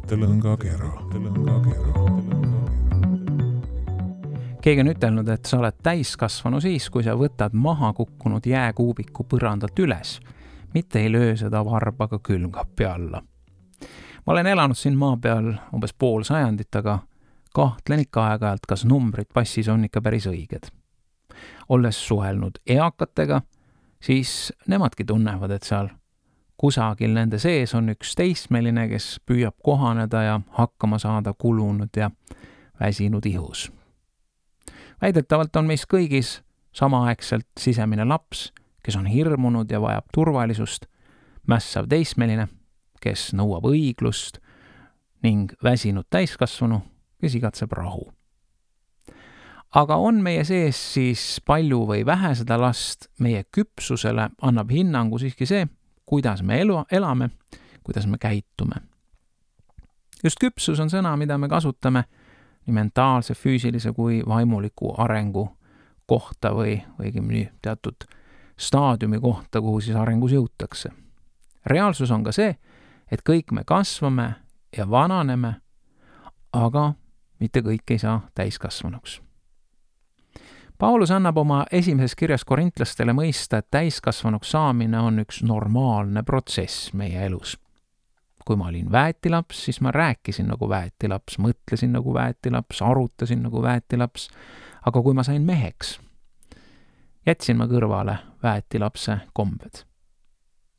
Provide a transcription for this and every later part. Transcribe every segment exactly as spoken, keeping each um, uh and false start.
mõttelõngakera. Keegi on ütelnud, et sa oled täiskasvanu siis, kui sa võtad maha kukkunud jääkuubiku põrandalt üles, mitte ei löö seda varbaga külmkapi alla. Ma olen elanud siin maa peal umbes pool sajandit, aga kahtlen ikka aeg-ajalt, kas numbrid passis on ikka päris õiged. Olles suhelnud eakatega, siis nemadki tunnevad, et seal kusagil nende sees on üks teismeline, kes püüab kohaneda ja hakkama saada kulunud ja väsinud ihus. Väidetavalt on meis kõigis samaaegselt sisemine laps, kes on hirmunud ja vajab turvalisust, mässav teismeline, kes nõuab õiglust ning väsinud täiskasvanu, kes igatseb rahu. Aga on meie sees siis palju või vähe seda last, meie küpsusele annab hinnangu siiski see, kuidas me elu, elame, kuidas me käitume. Just küpsus on sõna, mida me kasutame nii mentaalse, füüsilise kui vaimuliku arengu kohta või õigemini teatud staadiumi kohta, kuhu siis arengus jõutakse. Reaalsus on ka see, et kõik me kasvame ja vananeme, aga mitte kõik ei saa täiskasvanuks. Paulus annab oma esimeses kirjas korintlastele mõista, et täiskasvanuks saamine on üks normaalne protsess meie elus. Kui ma olin väetilaps, siis ma rääkisin nagu väetilaps, mõtlesin nagu väetilaps, arutasin nagu väetilaps, aga kui ma sain meheks, jätsin ma kõrvale väetilapse kombed.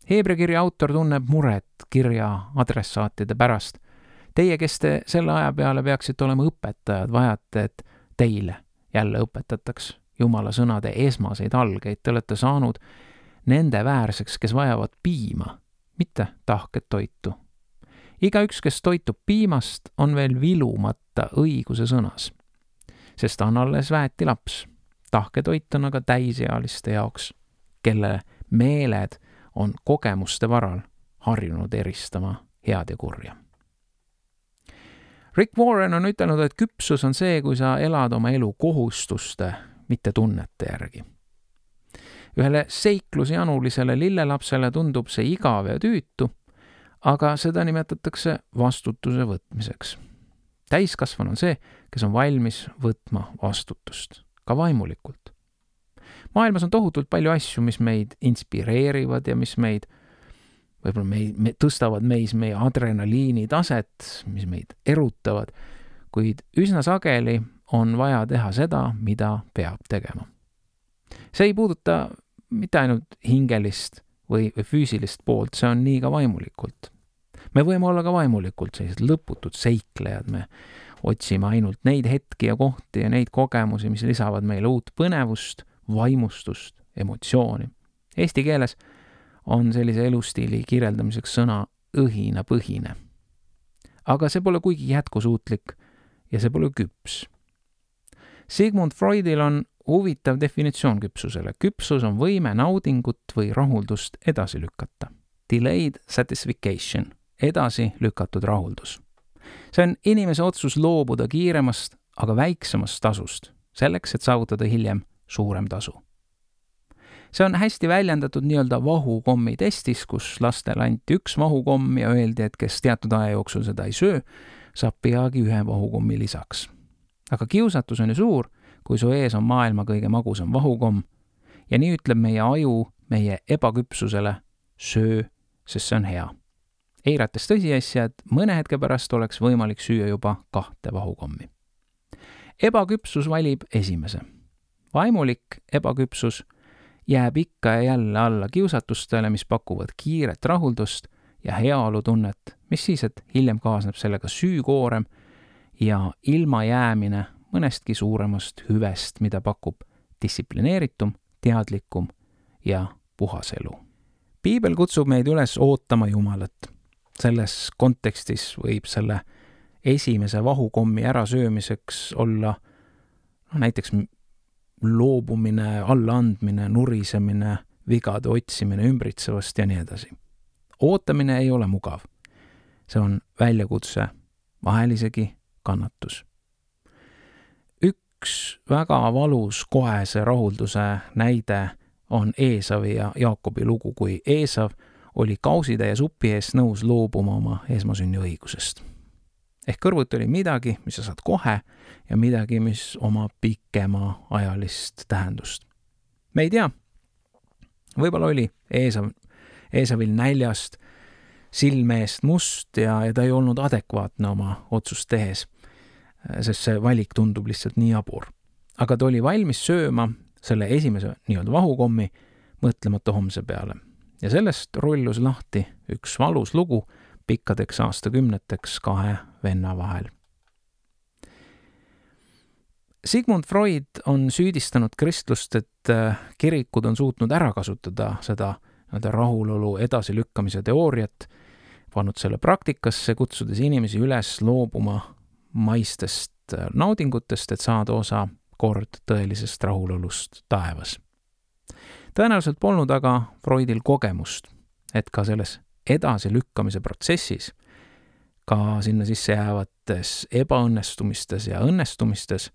Heebrea kirja autor tunneb muret kirja adressaatide pärast. Teie, kes te selle aja peale peaksite olema õpetajad, vajate, et teile jälle õpetataks Jumala sõnade esmaseid algeid. Te olete saanud nende väärseks, kes vajavad piima, mitte tahket toitu. Igaüks, kes toitub piimast, on veel vilumata õiguse sõnas, sest on alles väeti laps. Tahke toit on aga täisealiste jaoks, kelle meeled on kogemuste varal harjunud eristama head ja kurja. Rick Warren on ütelnud, et küpsus on see, kui sa elad oma elu kohustuste, mitte tunnete järgi. Ühele seiklusjanulisele lillelapsele tundub see igav ja tüütu, aga seda nimetatakse vastutuse võtmiseks. Täiskasvanu on see, kes on valmis võtma vastutust, ka vaimulikult. Maailmas on tohutult palju asju, mis meid inspireerivad ja mis meid võib-olla me, me tõstavad meis meie adrenaliini taset, mis meid erutavad, kuid üsna sageli on vaja teha seda, mida peab tegema. See ei puuduta mitte ainult hingelist või, või füüsilist poolt, see on nii ka vaimulikult. Me võime olla ka vaimulikult sellised lõputud seiklejad, me otsime ainult neid hetki ja kohti ja neid kogemusi, mis lisavad meile uut põnevust, vaimustust, emotsiooni. Eesti keeles on sellise elustiili kirjeldamiseks sõna õhina põhine. Aga see pole kuigi jätkusuutlik ja see pole küps. Sigmund Freudil on huvitav definitsioon küpsusele. Küpsus on võime naudingut või rahuldust edasi lükata. Delayed satisfaction, edasi lükatud rahuldus. See on inimese otsus loobuda kiiremast, aga väiksemast tasust, selleks, et saavutada hiljem suurem tasu. See on hästi väljendatud nii-öelda vahukommi testis, kus lastele anti üks vahukomm ja öeldi, et kes teatud aja jooksul seda ei söö, saab peagi ühe vahukommi lisaks. Aga kiusatus on ju suur, kui su ees on maailma kõige magusam vahukomm ja nii ütleb meie aju meie ebaküpsusele söö, sest see on hea. Eirates tõsiasja, et mõne hetke pärast oleks võimalik süüa juba kahte vahukommi. Ebaküpsus valib esimese. Vaimulik ebaküpsus jääb ikka ja jälle alla kiusatustele, mis pakuvad kiiret rahuldust ja heaolutunnet, mis siis, et hiljem kaasneb sellega süükoorem ja ilma jäämine mõnestki suuremast hüvest, mida pakub distsiplineeritum, teadlikum ja puhas elu. Piibel kutsub meid üles ootama Jumalat. Selles kontekstis võib selle esimese vahukommi ärasöömiseks olla no, näiteks loobumine, allaandmine, nurisemine, vigade otsimine ümbritsevast ja nii edasi. Ootamine ei ole mugav. See on väljakutse, vahel isegi kannatus. Üks väga valus kohese rahulduse näide on Eesavi ja Jaakobi lugu, kui Eesav oli kausitäie supi eest nõus loobuma oma esmasünni õigusest. Ehk kõrvuti oli midagi, mis sa saad kohe ja midagi, mis omab pikema ajalist tähendust. Me ei tea, võib-olla oli Eesav, Eesavil näljast silme eest must ja, ja ta ei olnud adekvaatne oma otsust tehes, sest see valik tundub lihtsalt nii jabur. Aga ta oli valmis sööma selle esimese nii-öelda vahukommi, mõtlemata homse peale. Ja sellest rullus lahti üks valus lugu pikkadeks aastakümneteks kahe venna vahel. Sigmund Freud on süüdistanud kristlust, et kirikud on suutnud ära kasutada seda rahulolu edasilükkamise teooriat, pannud selle praktikasse, kutsudes inimesi üles loobuma maistest naudingutest, et saada osa kord tõelisest rahulolust taevas. Tõenäoliselt polnud aga Freudil kogemust, et ka selles edasilükkamise protsessis, ka sinna sisse jäävates ebaõnnestumistes ja õnnestumistes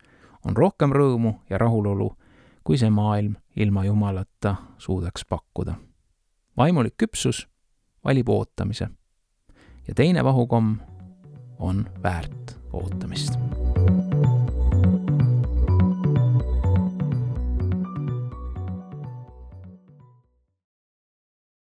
on rohkem rõõmu ja rahulolu, kui see maailm ilma Jumalata suudaks pakkuda. Vaimulik küpsus valib ootamise ja teine vahukomm on väärt ootamist.